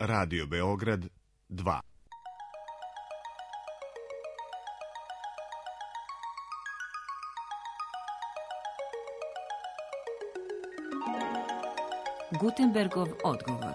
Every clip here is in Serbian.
Radio Beograd 2. Gutenbergov odgovor.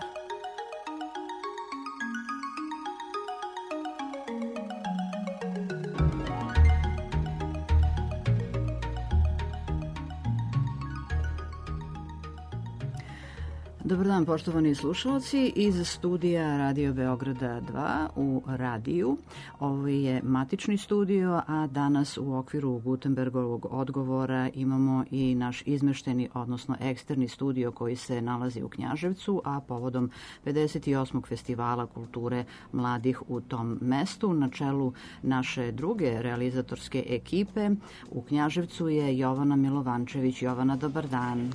Dobar dan, poštovani slušalci iz studija Radio Beograda 2 u radiju. Ovo je matični studio, a danas u okviru Gutenbergovog odgovora imamo i naš izmešteni, odnosno eksterni studio koji se nalazi u Knjaževcu, a povodom 58. festivala kulture mladih u tom mestu. Na čelu naše druge realizatorske ekipe u Knjaževcu je Jovana Milovančević. Jovana, dobar dan.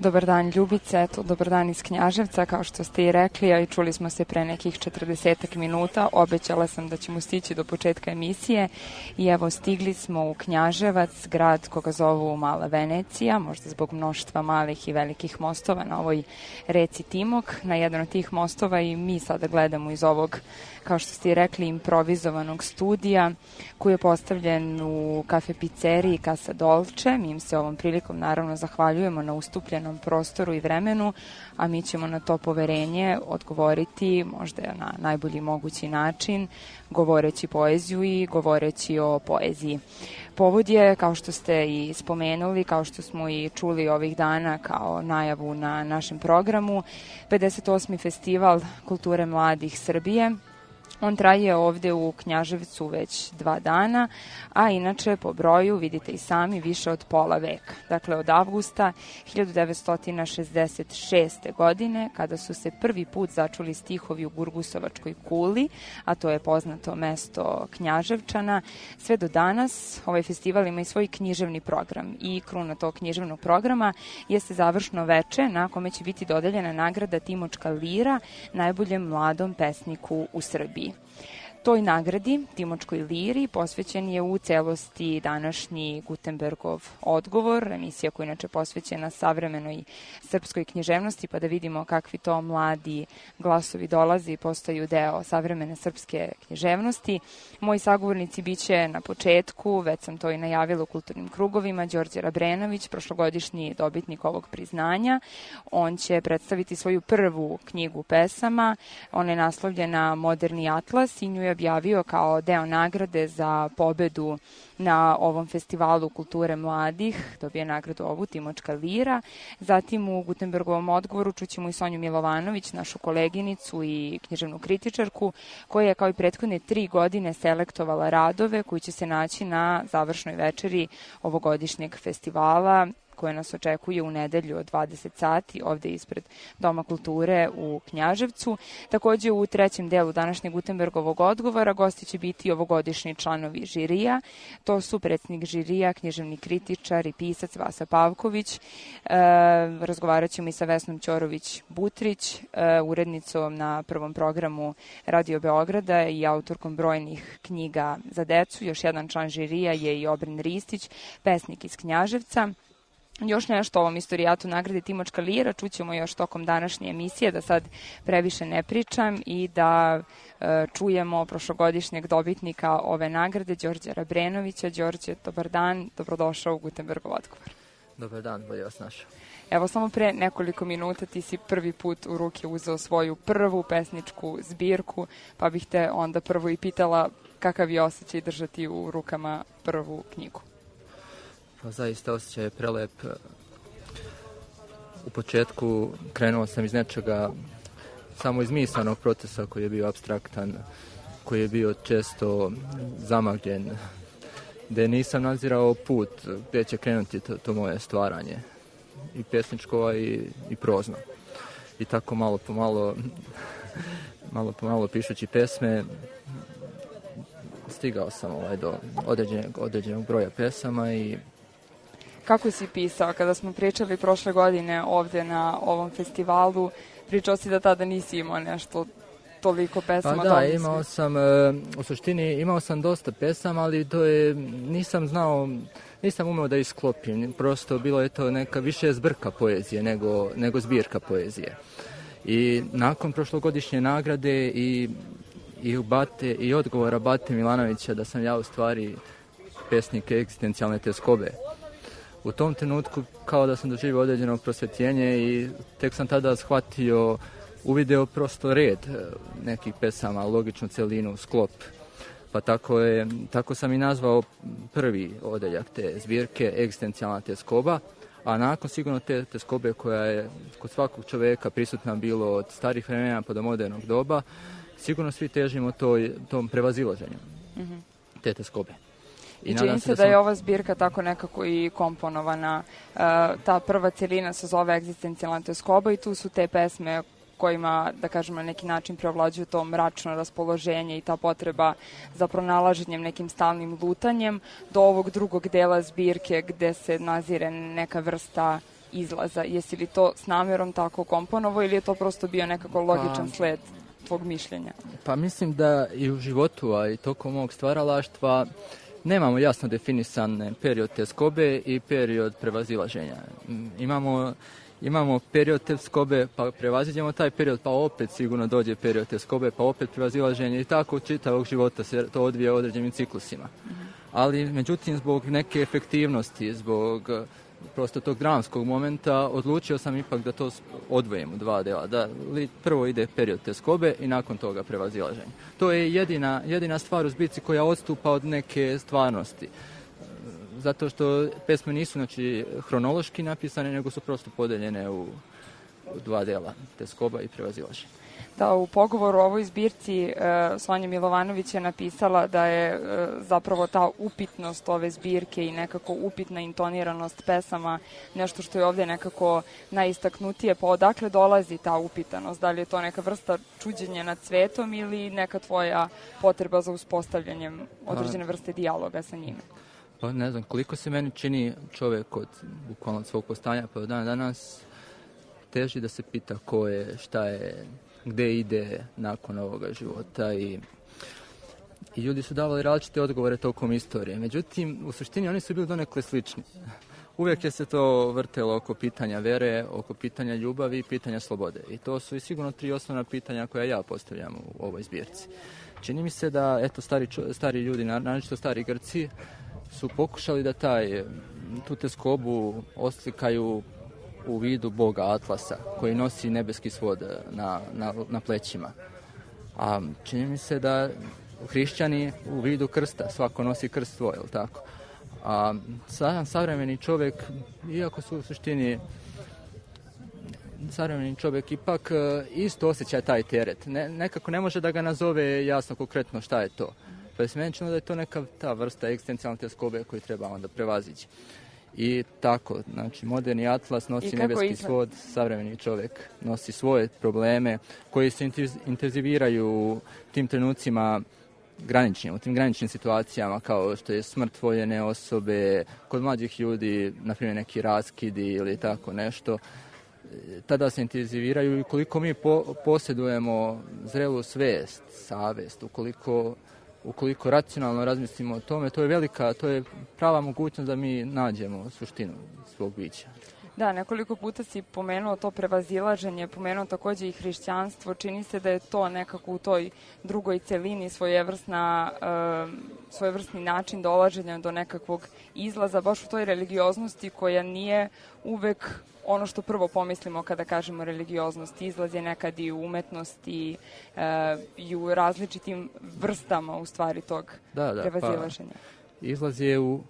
Dobar dan, Ljubice, dobar dan iz Knjaževca, kao što ste i rekli, a i čuli smo se pre nekih 40 minuta, obećala sam da ćemo stići do početka emisije i evo stigli smo u Knjaževac, grad koga zovu Mala Venecija, možda zbog mnoštva malih i velikih mostova na ovoj reci Timok. Na jedan od tih mostova i mi sada gledamo iz ovog, kao što ste i rekli, improvizovanog studija koji je postavljen u kafe pizzeriji Casa Dolce. Mi im se ovom prilikom naravno zahvaljujemo na ustupljenom prostoru i vremenu, a mi ćemo na to poverenje odgovoriti možda na najbolji mogući način, govoreći poeziju i govoreći o poeziji. Povod je, kao što ste i spomenuli, kao što smo i čuli ovih dana kao najavu na našem programu, 58. festival kulture mladih Srbije. On traje ovde u Knjaževcu već 2 dana, a inače po broju, vidite i sami, više od pola veka. Dakle, od avgusta 1966. godine, kada su se prvi put začuli stihovi u Gurgusovačkoj kuli, a to je poznato mesto Knjaževčana, sve do danas ovaj festival ima i svoj književni program. I kruna tog književnog programa jeste završno veče na kome će biti dodeljena nagrada Timočka lira najboljem mladom pesniku u Srbiji. Toj nagradi, Timočkoj liri, posvećen je u celosti današnji Gutenbergov odgovor, emisija koja je inače posvećena savremenoj srpskoj književnosti, pa da vidimo kakvi to mladi glasovi dolazi i postaju deo savremene srpske književnosti. Moji sagovornici biće na početku, već sam to i najavila u kulturnim krugovima, Đorđe Rabrenović, prošlogodišnji dobitnik ovog priznanja. On će predstaviti svoju prvu knjigu pesama, ona je naslovljena Moderni atlas i nju je objavio kao deo nagrade za pobedu na ovom festivalu kulture mladih, dobije nagradu ovu, Timočka lira. Zatim u Gutenbergovom odgovoru čućemo i Sonju Milovanović, našu koleginicu i književnu kritičarku, koja je kao i prethodne 3 godine selektovala radove koji će se naći na završnoj večeri ovogodišnjeg festivala, koje nas očekuje u nedelju od 20 sati ovde ispred Doma kulture u Knjaževcu. Takođe u trećem delu današnjeg Gutenbergovog odgovora gosti će biti ovogodišnji članovi žirija. To su predsjednik žirija, književni kritičar i pisac Vasa Pavković. Razgovarat ćemo i sa Vesnom Ćorović-Butrić, urednicom na prvom programu Radio Beograda i autorkom brojnih knjiga za decu. Još jedan član žirija je i Obren Ristić, pesnik iz Knjaževca. Još nešto o ovom istorijatu nagrade Timočka lira čućemo još tokom današnje emisije, da sad previše ne pričam i da čujemo prošlogodišnjeg dobitnika ove nagrade, Đorđe Rabrenovića. Đorđe, dobar dan, dobrodošao u Gutenbergov odgovor. Dobar dan, bolje vas našao. Evo, samo pre nekoliko minuta ti si prvi put u ruke uzeo svoju prvu pesničku zbirku, pa bih te onda prvo i pitala kakav je osjećaj držati u rukama prvu knjigu. Pa zaista osjećaj je prelep. U početku krenuo sam iz nečega, samo iz misanog procesa koji je bio apstraktan, koji je bio često zamagljen, gde nisam nadzirao put gde će krenuti to moje stvaranje, i pesničko i prozno. I tako malo po malo pišući pesme, stigao sam do određenog broja pesama. I kako si pisao? Kada smo pričali prošle godine ovde na ovom festivalu, pričao si da tada nisi imao nešto toliko pesama. Pa da, imao sam, u suštini imao sam dosta pesama, ali to je, nisam umeo da isklopim. Prosto bilo je to neka više zbrka poezije nego zbirka poezije. I nakon prošlogodišnje nagrade i odgovora Bate Milanovića da sam ja u stvari pesnik egzistencijalne tjeskobe, u tom trenutku kao da sam doživio određeno prosvjetljenje i tek sam tada shvatio, uvideo prosto red nekih pesama, logičnu celinu, sklop. Pa tako sam i nazvao prvi odeljak te zbirke egzistencijalna tjeskoba, a nakon sigurno te tjeskobe koja je kod svakog čovjeka prisutna bilo od starih vremena pa do modernog doba, sigurno svi težimo tom prevazilaženju te tjeskobe. I čini se da je ova zbirka tako nekako i komponovana. Ta prva celina se zove egzistencijalna tjeskoba i tu su te pesme kojima, da kažemo, na neki način preovlađuju to mračno raspoloženje i ta potreba za pronalaženjem, nekim stalnim lutanjem, do ovog drugog dela zbirke gde se nazire neka vrsta izlaza. Jesi li to s namjerom tako komponovo ili je to prosto bio nekako logičan sled tvog mišljenja? Pa mislim da i u životu, a i tokom mog stvaralaštva nemamo jasno definisan period tjeskobe i period prevazilaženja. Imamo period tjeskobe, pa prevaziđemo taj period, pa opet sigurno dođe period tjeskobe, pa opet prevazilaženje i tako čitavog života se to odvija određenim ciklusima. Ali, međutim, zbog neke efektivnosti, zbog prosto tog dramskog momenta, odlučio sam ipak da to odvojim u dva dela. Da prvo ide period tjeskobe i nakon toga prevazilaženje. To je jedina stvar u zbirci koja odstupa od neke stvarnosti. Zato što pesme nisu hronološki napisane, nego su prosto podeljene u dva dela, tjeskoba i prevazilaženje. Da, u pogovoru o ovoj zbirci Sonja Milovanović je napisala da je zapravo ta upitnost ove zbirke i nekako upitna intoniranost pesama nešto što je ovdje nekako najistaknutije. Pa odakle dolazi ta upitanost? Da li je to neka vrsta čuđenja nad svetom ili neka tvoja potreba za uspostavljanjem određene vrste dijaloga sa njime? Pa ne znam, koliko se meni čini čovjek od bukvalno svog postanja pa do dana danas teži da se pita ko je, šta je, gde ide nakon ovoga života i ljudi su davali različite odgovore tokom istorije. Međutim, u suštini oni su bili donekle slični. Uvijek je se to vrtelo oko pitanja vere, oko pitanja ljubavi i pitanja slobode. I to su i sigurno 3 osnovna pitanja koja ja postavljam u ovoj zbirci. Čini mi se da stari ljudi, naročito stari Grci, su pokušali da tu tjeskobu oslikaju u vidu boga Atlasa, koji nosi nebeski svod na plećima. A čini mi se da hrišćani u vidu krsta, svako nosi krst svoj, je li tako? A savremeni čovjek, iako su u suštini savremeni čovjek ipak isto osjeća taj teret. Nekako ne može da ga nazove jasno konkretno šta je to. Pa je meni činilo da je to neka ta vrsta egzistencijalne tjeskobe koju treba onda prevazići. I tako, znači moderni Atlas nosi nebeski svod, savremeni čovjek nosi svoje probleme koji se intenziviraju u tim trenucima graničnim, u tim graničnim situacijama kao što je smrt voljene osobe, kod mlađih ljudi, na primjer neki raskidi ili tako nešto. Tada se intenziviraju i koliko mi posjedujemo zrelu svijest, savjest, ukoliko racionalno razmislimo o tome, to je prava mogućnost da mi nađemo suštinu svog bića. Da, nekoliko puta si pomenuo to prevazilaženje, pomenuo također i hrišćanstvo. Čini se da je to nekako u toj drugoj celini svojevrsni način dolaženja do nekakvog izlaza, baš u toj religioznosti koja nije uvek ono što prvo pomislimo kada kažemo religioznost. Izlaz je nekad i u umetnosti i u različitim vrstama u stvari tog prevazilaženja. Pa, izlaz je u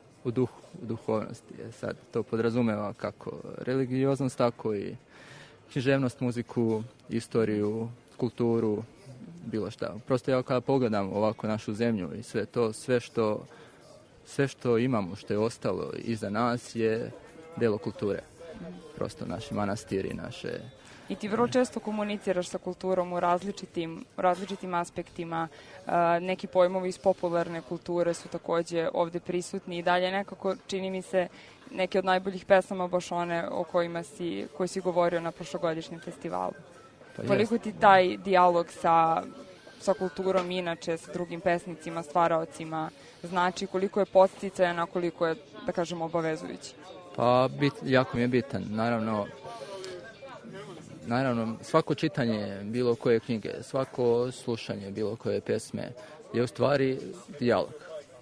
duhovnosti. Sad to podrazumeva kako religioznost, tako i književnost, muziku, istoriju, kulturu, bilo šta. Prosto ja kada pogledam ovako našu zemlju i sve to, sve što imamo, što je ostalo iza nas je delo kulture. Prosto naši manastiri, naše... I ti vrlo često komuniciraš sa kulturom u različitim aspektima. Neki pojmovi iz popularne kulture su također ovdje prisutni i dalje nekako čini mi se neke od najboljih pesama baš one o koji si govorio na prošlogodišnjem festivalu. Pa koliko ti taj dijalog sa kulturom inače, sa drugim pesnicima, stvaraocima znači, koliko je podsticajan, a koliko je, da kažem, obavezujući? Pa jako mi je bitan. Naravno, naravno, svako čitanje bilo koje knjige, svako slušanje bilo koje pesme je u stvari dijalog.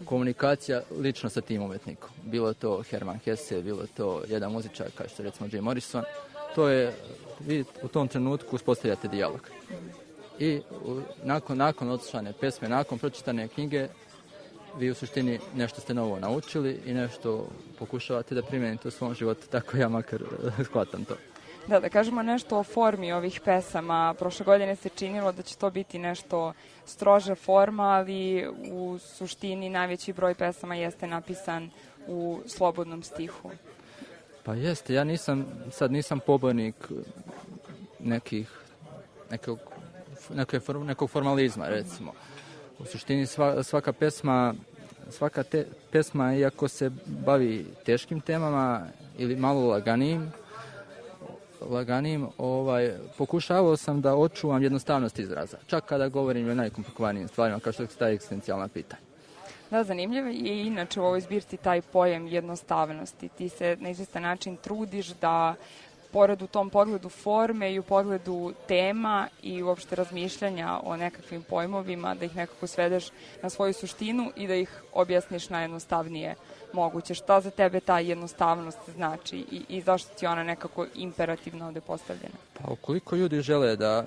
Komunikacija lično sa tim umetnikom. Bilo to Herman Hesse, bilo to jedan muzičar kao što je recimo Jim Morrison. To je, vi u tom trenutku uspostavljate dijalog. I nakon odslušane pesme, nakon pročitane knjige, vi u suštini nešto ste novo naučili i nešto pokušavate da primijenite u svom životu. Tako ja makar shvatam to. Da kažemo nešto o formi ovih pesama. Prošle godine se činilo da će to biti nešto stroža forma, ali u suštini najveći broj pesama jeste napisan u slobodnom stihu. Pa jeste, ja nisam pobornik nekog formalizma, recimo. U suštini svaka pesma, iako se bavi teškim temama ili malo laganijim, pokušavao sam da očuvam jednostavnost izraza. Čak kada govorim o najkomplikovanijim stvarima, kao što je ta egzistencijalna pitanja. Da, zanimljivo je inače u ovoj zbirci taj pojam jednostavnosti. Ti se na izvestan način trudiš da, pored u tom pogledu forme i u pogledu tema i uopšte razmišljanja o nekakvim pojmovima, da ih nekako svedeš na svoju suštinu i da ih objasniš najjednostavnije moguće. Šta za tebe ta jednostavnost znači i zašto ti ona nekako imperativno ovde postavljena? Pa ukoliko ljudi žele da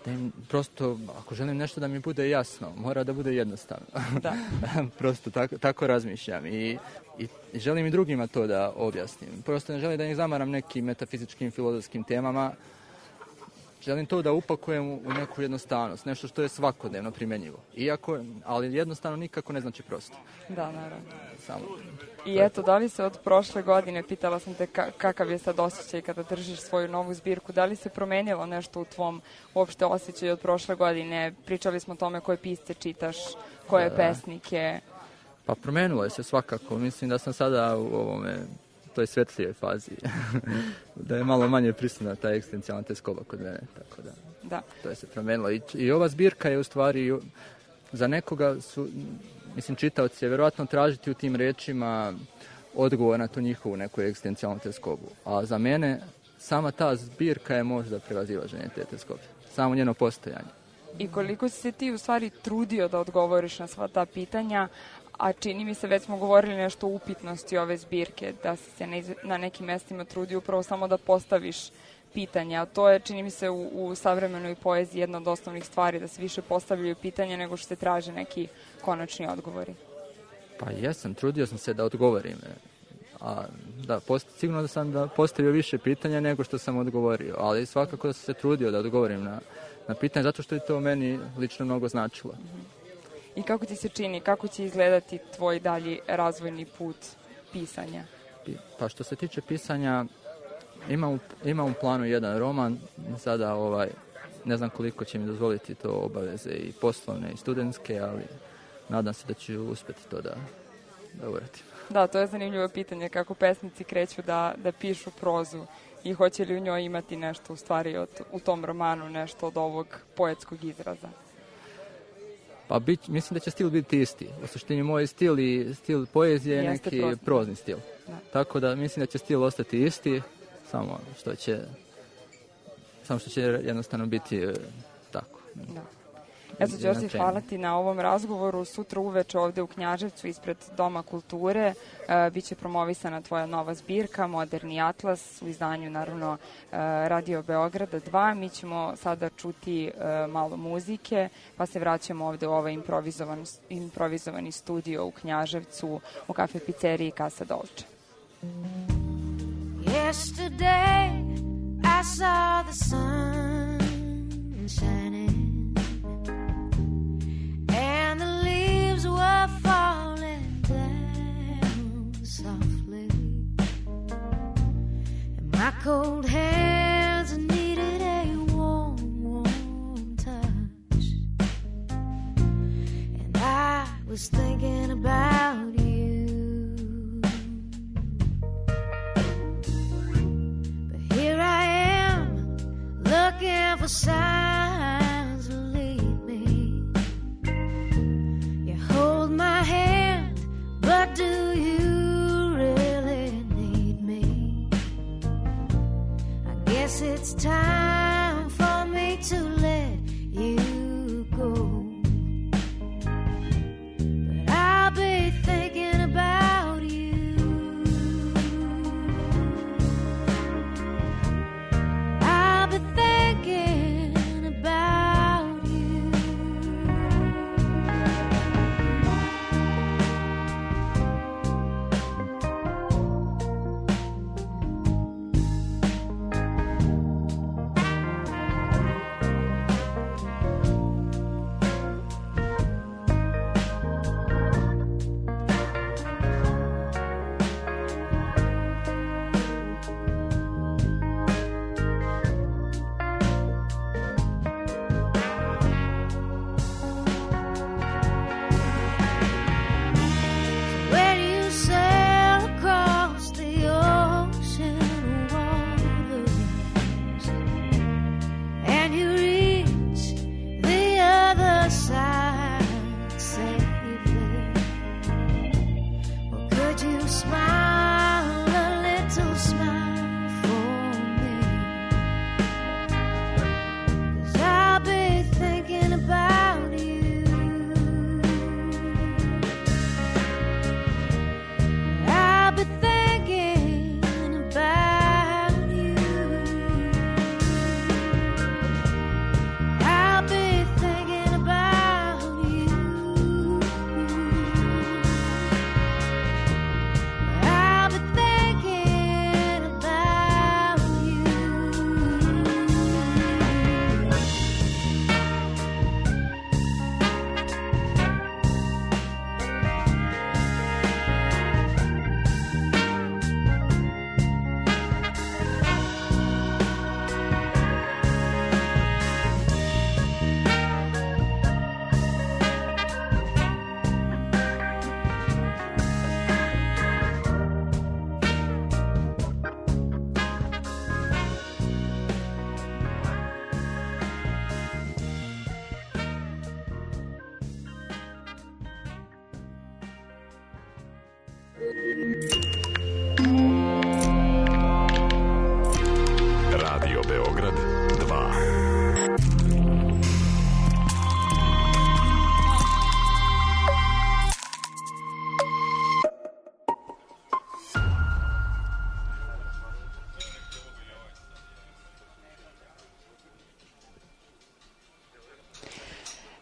im prosto, ako želim nešto da mi bude jasno, mora da bude jednostavno. Da. Prosto tako razmišljam i želim i drugima to da objasnim. Prosto ne želim da ih zamaram nekim metafizičkim, filozofskim temama. Želim to da upakujem u neku jednostavnost, nešto što je svakodnevno primjenjivo. Ali jednostavno nikako ne znači prosto. Da, naravno. Samo. I eto, da li se od prošle godine, pitala sam te kakav je sad osjećaj kada držiš svoju novu zbirku, da li se promenilo nešto u tvom uopšte osjećaju od prošle godine? Pričali smo o tome koje pisce čitaš, koje pesnike. Pa promenilo je se svakako. Mislim da sam sada u toj svetlijoj fazi. Da je malo manje prisutna ta egzistencijalna teskoba kod mene. Tako da. To je se promenilo. I ova zbirka je u stvari za nekoga čitaoci će vjerojatno tražiti u tim rečima odgovor na tu njihovu neku egzistencijalnu teskobu. A za mene sama ta zbirka je možda prevazilaženje te teskobe. Samo njeno postojanje. I koliko si se ti u stvari trudio da odgovoriš na sva ta pitanja, a čini mi se, već smo govorili nešto o upitnosti ove zbirke, da si se na nekim mestima trudio upravo samo da postaviš pitanja, a to je, čini mi se, u savremenoj poeziji jedna od osnovnih stvari, da se više postavljaju pitanja nego što se traže neki konačni odgovori. Pa jesam, trudio sam se da odgovorim. Sigurno da sam postavio više pitanja nego što sam odgovorio, ali svakako da sam se trudio da odgovorim na pitanje, zato što je to meni lično mnogo značilo. I kako ti se čini, kako će izgledati tvoj dalji razvojni put pisanja? Pa što se tiče pisanja, imam u planu jedan roman, sada ne znam koliko će mi dozvoliti to obaveze i poslovne i studentske, ali nadam se da ću uspjeti to da uradim. Da, to je zanimljivo pitanje, kako pesnici kreću da pišu prozu i hoće li u njoj imati nešto u stvari u tom romanu, nešto od ovog poetskog izraza. Pa mislim da će stil biti isti. U suštini moj stil i stil poezije je neki prozni stil. Da. Tako da mislim da će stil ostati isti, samo što će jednostavno biti tako. Da. Eto, Đorđe, hvala ti na ovom razgovoru. Sutra uveče ovde u Knjaževcu ispred Doma kulture biće promovisana tvoja nova zbirka Moderni atlas u izdanju, naravno, Radio Beograda 2. Mi ćemo sada čuti malo muzike, pa se vraćamo ovde u ovaj improvizovani studio u Knjaževcu u kafe pizzeriji Casa Dolce. Yesterday I saw the sun shining and the leaves were falling down softly, and my cold hands needed a warm, warm touch, and I was thinking about you, but here I am looking for signs to lead me. You hold my hand, but do you really need me? I guess it's time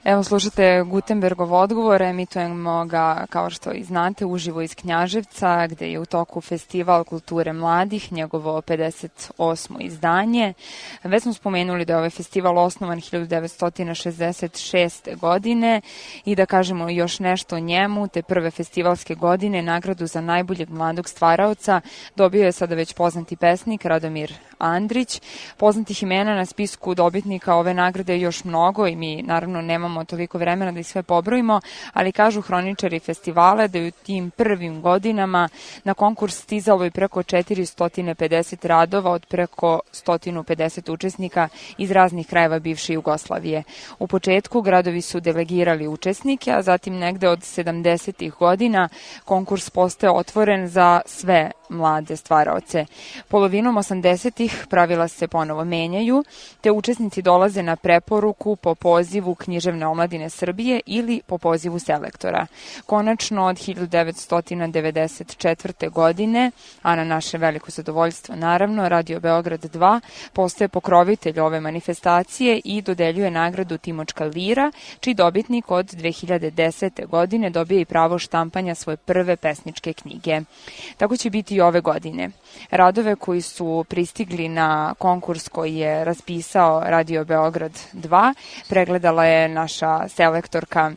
Evo, slušate Gutenbergov odgovor, emitujemo ga, kao što i znate, uživo iz Knjaževca, gde je u toku Festival kulture mladih, njegovo 58. izdanje. Već smo spomenuli da je ovaj festival osnovan 1966. godine i da kažemo još nešto o njemu. Te prve festivalske godine nagradu za najboljeg mladog stvaraoca dobio je sada već poznati pesnik Radomir Andrić. Poznatih imena na spisku dobitnika ove nagrade je još mnogo i mi naravno nemamo toliko vremena da ih sve pobrojimo, ali kažu hroničari festivala da je u tim prvim godinama na konkurs stizalo i preko 450 radova od preko 150 učesnika iz raznih krajeva bivše Jugoslavije. U početku gradovi su delegirali učesnike, a zatim negde od 70. godina konkurs postaje otvoren za sve mlade stvaraoce. Polovinom 80. pravila se ponovo menjaju, te učesnici dolaze na preporuku po pozivu Književne omladine Srbije ili po pozivu selektora. Konačno od 1994. godine, a na naše veliko zadovoljstvo naravno, Radio Beograd 2 postaje pokrovitelj ove manifestacije i dodeljuje nagradu Timočka lira, čiji dobitnik od 2010. godine dobije i pravo štampanja svoje prve pesničke knjige. Tako će biti i ove godine. Radove koji su pristigli na konkurs koji je raspisao Radio Beograd 2 pregledala je naša selektorka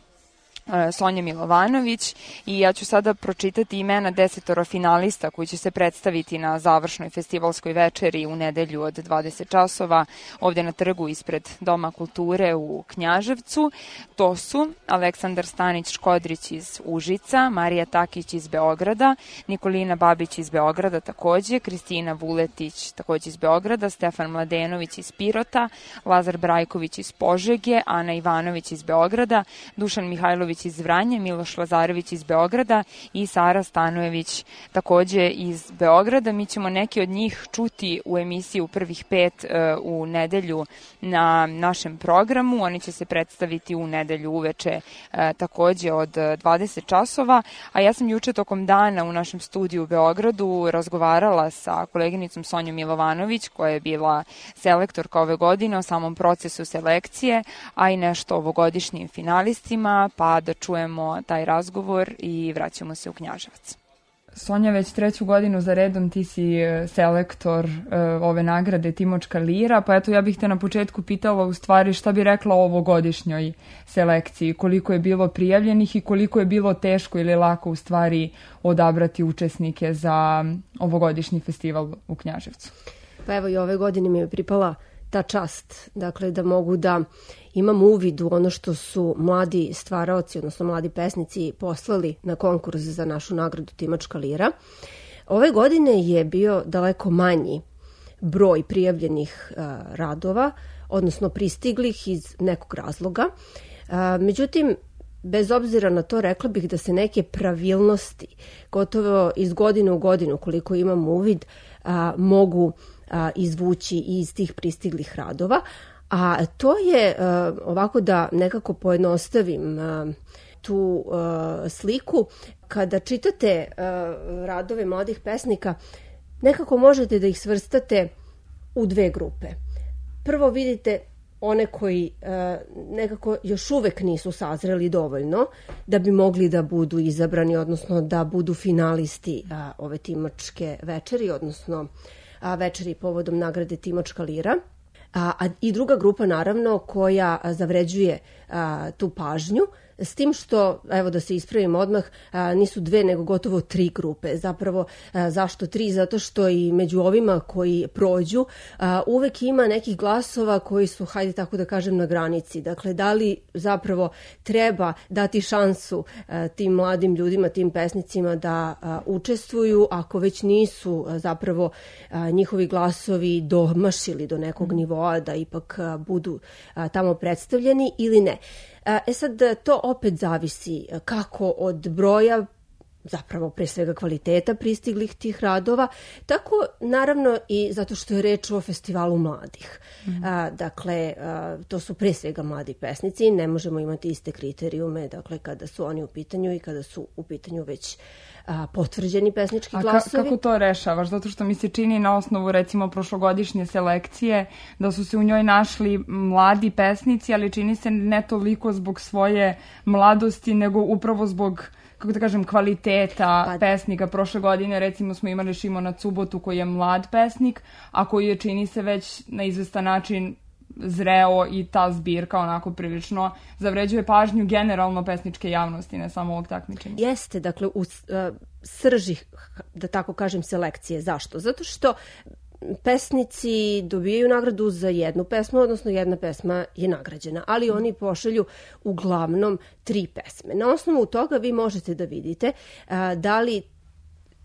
Sonja Milovanović i ja ću sada pročitati imena 10 finalista koji će se predstaviti na završnoj festivalskoj večeri u nedelju od 20 časova ovde na trgu ispred Doma kulture u Knjaževcu. To su Aleksandar Stanić-Škodrić iz Užica, Marija Takić iz Beograda, Nikolina Babić iz Beograda takođe, Kristina Vuletić takođe iz Beograda, Stefan Mladenović iz Pirota, Lazar Brajković iz Požege, Ana Ivanović iz Beograda, Dušan Mihajlović iz Vranja, Miloš Lazarević iz Beograda i Sara Stanojević takođe iz Beograda. Mi ćemo neki od njih čuti u emisiji u prvih 5 u nedelju na našem programu. Oni će se predstaviti u nedelju uveče takođe od 20 časova, a ja sam juče tokom dana u našem studiju u Beogradu razgovarala sa koleginicom Sonjom Milovanović, koja je bila selektorka ove godine, o samom procesu selekcije, a i nešto o ovogodišnjim finalistima, pa da čujemo taj razgovor i vraćamo se u Knjaževac. Sonja, već 3. godinu za redom ti si selektor ove nagrade Timočka lira, pa eto ja bih te na početku pitala u stvari šta bi rekla o ovogodišnjoj selekciji, koliko je bilo prijavljenih i koliko je bilo teško ili lako u stvari odabrati učesnike za ovogodišnji festival u Knjaževcu. Pa evo i ove godine mi je pripala ta čast, dakle da mogu da imam uvid u ono što su mladi stvaraoci, odnosno mladi pesnici poslali na konkurs za našu nagradu Timočka lira. Ove godine je bio daleko manji broj prijavljenih radova, odnosno pristiglih iz nekog razloga. Međutim, bez obzira na to, rekla bih da se neke pravilnosti, gotovo iz godine u godinu, koliko imam uvid, mogu izvući iz tih pristiglih radova. A to je, ovako da nekako pojednostavim tu sliku, kada čitate radove mladih pesnika, nekako možete da ih svrstate u dve grupe. Prvo vidite one koji nekako još uvek nisu sazreli dovoljno da bi mogli da budu izabrani, odnosno da budu finalisti ove Timočke večeri, odnosno večeri povodom nagrade Timočka lira. I druga grupa naravno koja zavređuje tu pažnju, s tim što, evo da se ispravim odmah, nisu dve nego gotovo 3 grupe. Zapravo, zašto 3? Zato što i među ovima koji prođu uvek ima nekih glasova koji su, hajde tako da kažem, na granici. Dakle, da li zapravo treba dati šansu tim mladim ljudima, tim pesnicima da učestvuju, ako već nisu zapravo njihovi glasovi domašili do nekog nivoa da ipak budu tamo predstavljeni ili ne. Sad, to opet zavisi kako od broja zapravo pre svega kvaliteta pristiglih tih radova, tako naravno i zato što je reč o festivalu mladih. Dakle, to su pre svega mladi pesnici, ne možemo imati iste kriterijume, dakle, kada su oni u pitanju i kada su u pitanju već potvrđeni pesnički glasovi. Kako to rešavaš? Zato što mi se čini na osnovu recimo prošlogodišnje selekcije da su se u njoj našli mladi pesnici, ali čini se ne toliko zbog svoje mladosti, nego upravo zbog, kako da kažem, kvaliteta pesnika. Prošle godine recimo smo imali Šimona Cubotu koji je mlad pesnik, a koji je, čini se, već na izvestan način zreo i ta zbirka onako prilično zavređuje pažnju generalno pesničke javnosti, ne samo ovog takmičenja. Jeste, dakle, u srži, da tako kažem, selekcije. Zašto? Zato što pesnici dobijaju nagradu za jednu pesmu, odnosno jedna pesma je nagrađena, ali oni pošalju uglavnom 3 pesme. Na osnovu toga vi možete da vidite da li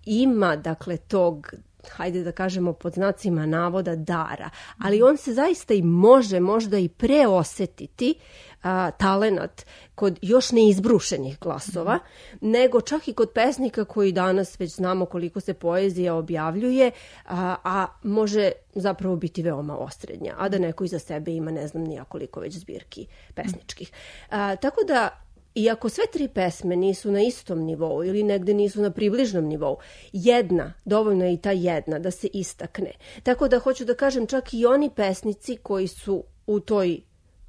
ima, dakle, tog, hajde da kažemo pod znacima navoda, dara, ali on se zaista i može možda i preosetiti talenat kod još neizbrušenih glasova, nego čak i kod pesnika koji danas već znamo koliko se poezija objavljuje, a može zapravo biti veoma osrednja, a da neko iza sebe ima ne znam nija koliko već zbirki pesničkih. Tako da, iako sve 3 pesme nisu na istom nivou ili negde nisu na približnom nivou, jedna, dovoljno je i ta jedna da se istakne. Tako da hoću da kažem, čak i oni pesnici koji su u toj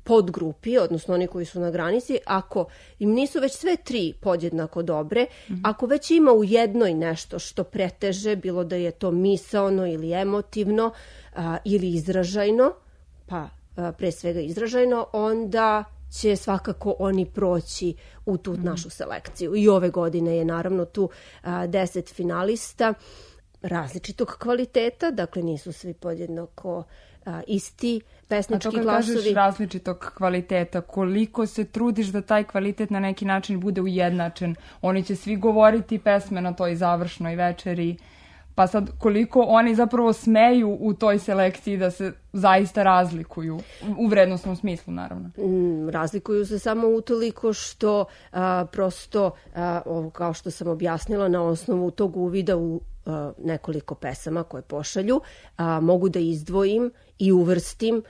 podgrupi, odnosno oni koji su na granici, ako im nisu već sve 3 podjednako dobre, ako već ima u jednoj nešto što preteže, bilo da je to misaono ili emotivno ili izražajno, pa pre svega izražajno, onda će svakako oni proći u tu našu selekciju. I ove godine je naravno tu 10 finalista različitog kvaliteta, dakle nisu svi podjednako isti pesnički glasovi. A to kad kažeš različitog kvaliteta, koliko se trudiš da taj kvalitet na neki način bude ujednačen? Oni će svi govoriti pesme na toj završnoj večeri, pa sad koliko oni zapravo smeju u toj selekciji da se zaista razlikuju, u vrednostnom smislu naravno. Razlikuju se samo utoliko što prosto, kao što sam objasnila, na osnovu tog uvida u nekoliko pesama koje pošalju, mogu da izdvojim i uvrstim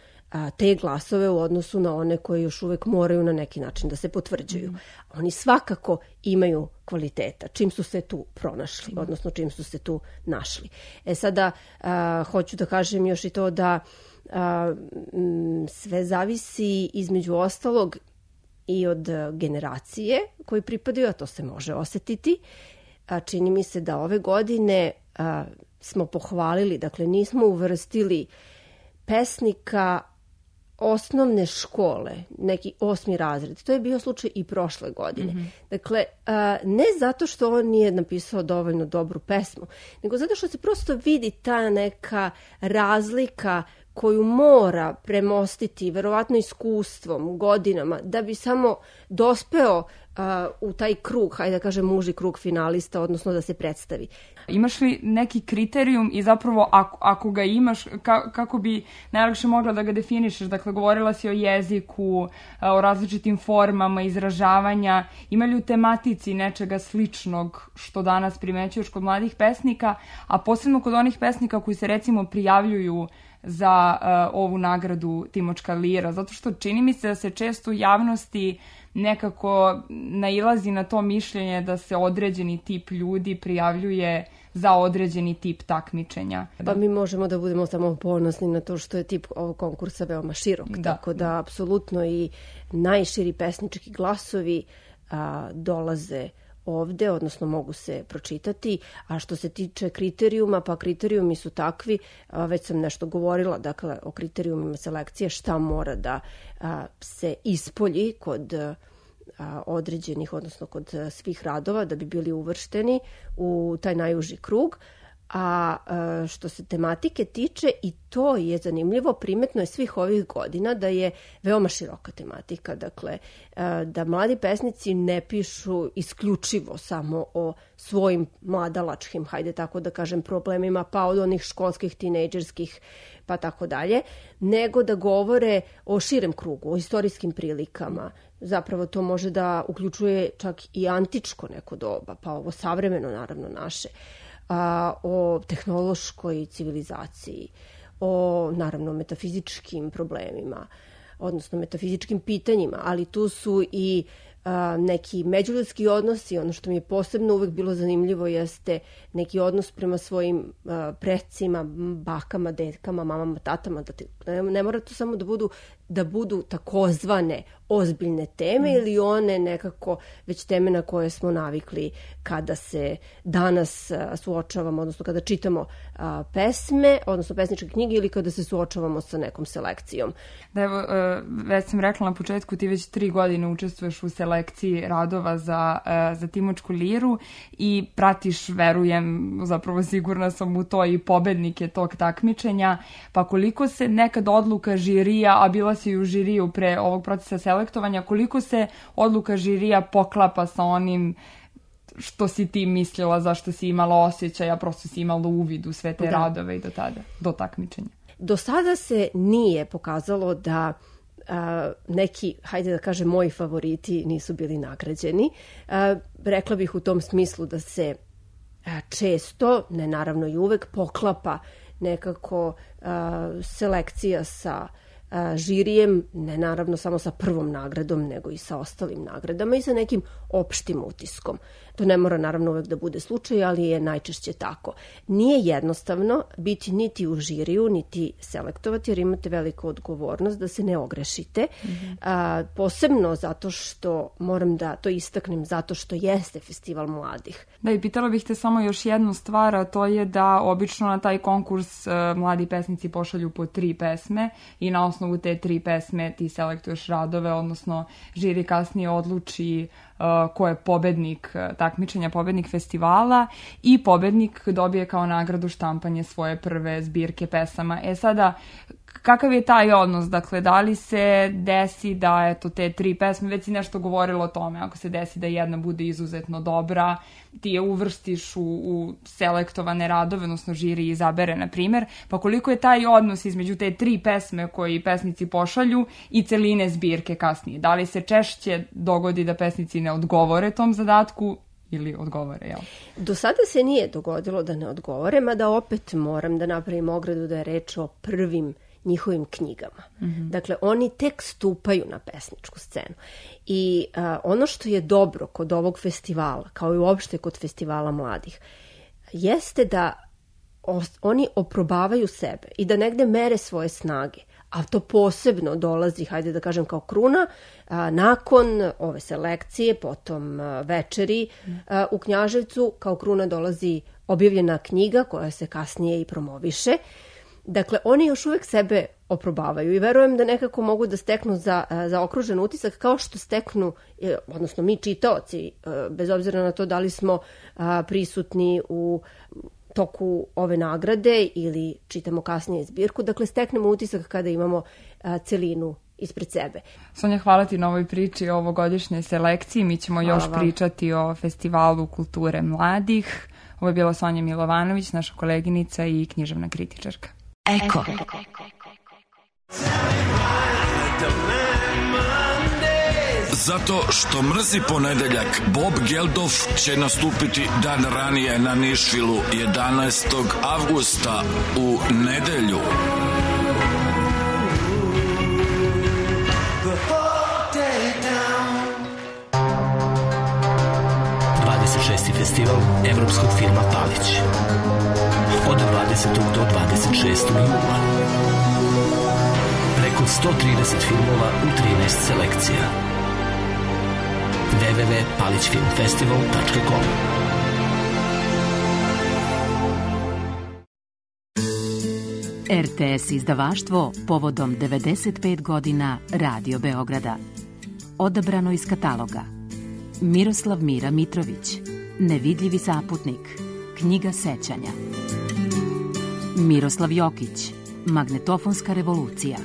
te glasove u odnosu na one koje još uvek moraju na neki način da se potvrđuju. Oni svakako imaju kvaliteta, čim su se tu pronašli, odnosno čim su se tu našli. Sada, hoću da kažem još i to da sve zavisi između ostalog i od generacije koji pripadaju, a to se može osetiti. Čini mi se da ove godine smo pohvalili, dakle nismo uvrstili pesnika osnovne škole, neki 8. razred. To je bio slučaj i prošle godine. Dakle, ne zato što on nije napisao dovoljno dobru pesmu, nego zato što se prosto vidi ta neka razlika koju mora premostiti, verovatno iskustvom, godinama, da bi samo dospeo u taj krug, hajde da kažem muži krug finalista, odnosno da se predstavi. Imaš li neki kriterijum i zapravo ako ga imaš, kako bi najlakše mogla da ga definišeš? Dakle, govorila si o jeziku, o različitim formama izražavanja. Ima li u tematici nečega sličnog što danas primećuješ kod mladih pesnika, a posebno kod onih pesnika koji se recimo prijavljuju za ovu nagradu Timočka lira? Zato što čini mi se da se često u javnosti nekako nailazi na to mišljenje da se određeni tip ljudi prijavljuje za određeni tip takmičenja. Pa mi možemo da budemo samo ponosni na to što je tip ovog konkursa veoma širok. Tako da apsolutno i najširi pesnički glasovi dolaze ovde, odnosno mogu se pročitati. A što se tiče kriterijuma, pa kriterijumi su takvi, već sam nešto govorila, dakle, o kriterijumima selekcije, šta mora da se ispolji kod određenih, odnosno kod svih radova da bi bili uvršteni u taj najuži krug. A što se tematike tiče, i to je zanimljivo, primetno je svih ovih godina da je veoma široka tematika. Dakle, da mladi pesnici ne pišu isključivo samo o svojim mladalačkim, hajde tako da kažem, problemima, pa od onih školskih, tinejdžerskih, pa tako dalje, nego da govore o širem krugu, o istorijskim prilikama. Zapravo to može da uključuje čak i antičko neko doba, pa ovo savremeno, naravno, naše, o tehnološkoj civilizaciji, o, naravno, metafizičkim problemima, odnosno metafizičkim pitanjima, ali tu su i neki međuljudski odnosi. Ono što mi je posebno uvek bilo zanimljivo jeste neki odnos prema svojim precima, bakama, detkama, mamama, tatama. Ne mora to samo da budu takozvane ozbiljne teme ili one nekako već teme na koje smo navikli kada se danas suočavamo, odnosno kada čitamo pesme, odnosno pesničke knjige ili kada se suočavamo sa nekom selekcijom. Da, evo, već sam rekla na početku, ti već 3 godine učestvuješ u selekciji radova za Timočku liru i pratiš, verujem, zapravo sigurna sam u to, i pobednike tog takmičenja, pa koliko se nekad odluka žirija, a bila si u žiriju pre ovog procesa selektovanja, koliko se odluka žirija poklapa sa onim što si ti mislila, zašto si imala osjećaj, a prosto si imala uvid u sve te radove i do takmičenja? Do sada se nije pokazalo da neki, hajde da kažem, moji favoriti nisu bili nagrađeni. Rekla bih u tom smislu da se često, ne naravno i uvek, poklapa nekako selekcija sa žirijem, ne naravno samo sa prvom nagradom, nego i sa ostalim nagradama i sa nekim opštim utiskom. To ne mora naravno uvek da bude slučaj, ali je najčešće tako. Nije jednostavno biti niti u žiriju, niti selektovati, jer imate veliku odgovornost da se ne ogrešite. Posebno zato što, moram da to istaknem, zato što jeste festival mladih. Da, i pitala bih te samo još jednu stvar, a to je da obično na taj konkurs mladi pesnici pošalju po 3 pesme i na osnovu te 3 pesme ti selektuješ radove, odnosno žiri kasnije odluči ko je pobednik takmičenja, pobednik festivala, i pobednik dobije kao nagradu štampanje svoje prve zbirke pesama. Sada, kakav je taj odnos? Dakle, da li se desi da eto te 3 pesme, već si nešto govorilo o tome, ako se desi da jedna bude izuzetno dobra, ti je uvrstiš u selektovane radove, odnosno žiri izabere, na primjer, pa koliko je taj odnos između te 3 pesme koji pesnici pošalju i celine zbirke kasnije? Da li se češće dogodi da pesnici ne odgovore tom zadatku ili odgovore, jel? Do sada se nije dogodilo da ne odgovore, mada opet moram da napravim ogradu da je reč o prvim njihovim knjigama. Dakle, oni tek stupaju na pesničku scenu. I ono što je dobro kod ovog festivala, kao i uopšte kod festivala mladih, jeste da oni oprobavaju sebe i da negde mere svoje snage. A to posebno dolazi, hajde da kažem, kao kruna, nakon ove selekcije, potom večeri u Knjaževcu, kao kruna dolazi objavljena knjiga koja se kasnije i promoviše. Dakle, oni još uvek sebe oprobavaju i verujem da nekako mogu da steknu za okružen utisak kao što steknu, odnosno mi čitaoci, bez obzira na to da li smo prisutni u toku ove nagrade ili čitamo kasnije zbirku, dakle steknemo utisak kada imamo celinu ispred sebe. Sonja, hvala ti na ovoj priči o ovogodišnjoj selekciji. Mi ćemo još pričati o Festivalu kulture mladih. Ovo je bila Sonja Milovanović, naša koleginica i književna kritičarka. Eko. Zato što mrzi ponedeljak, Bob Geldof će nastupiti dan ranije na Nišvilu 11. avgusta u nedelju. Festival evropskog filma Palić od 20. do 26. jula. Preko 130 filmova u 13 selekcija. www.palićfilmfestival.com. RTS izdavaštvo povodom 95 godina Radio Beograda. Odabrano iz kataloga: Miroslav Mira Mitrović, Nevidljivi saputnik, Knjiga sećanja. Miroslav Jokić, Magnetofonska revolucija,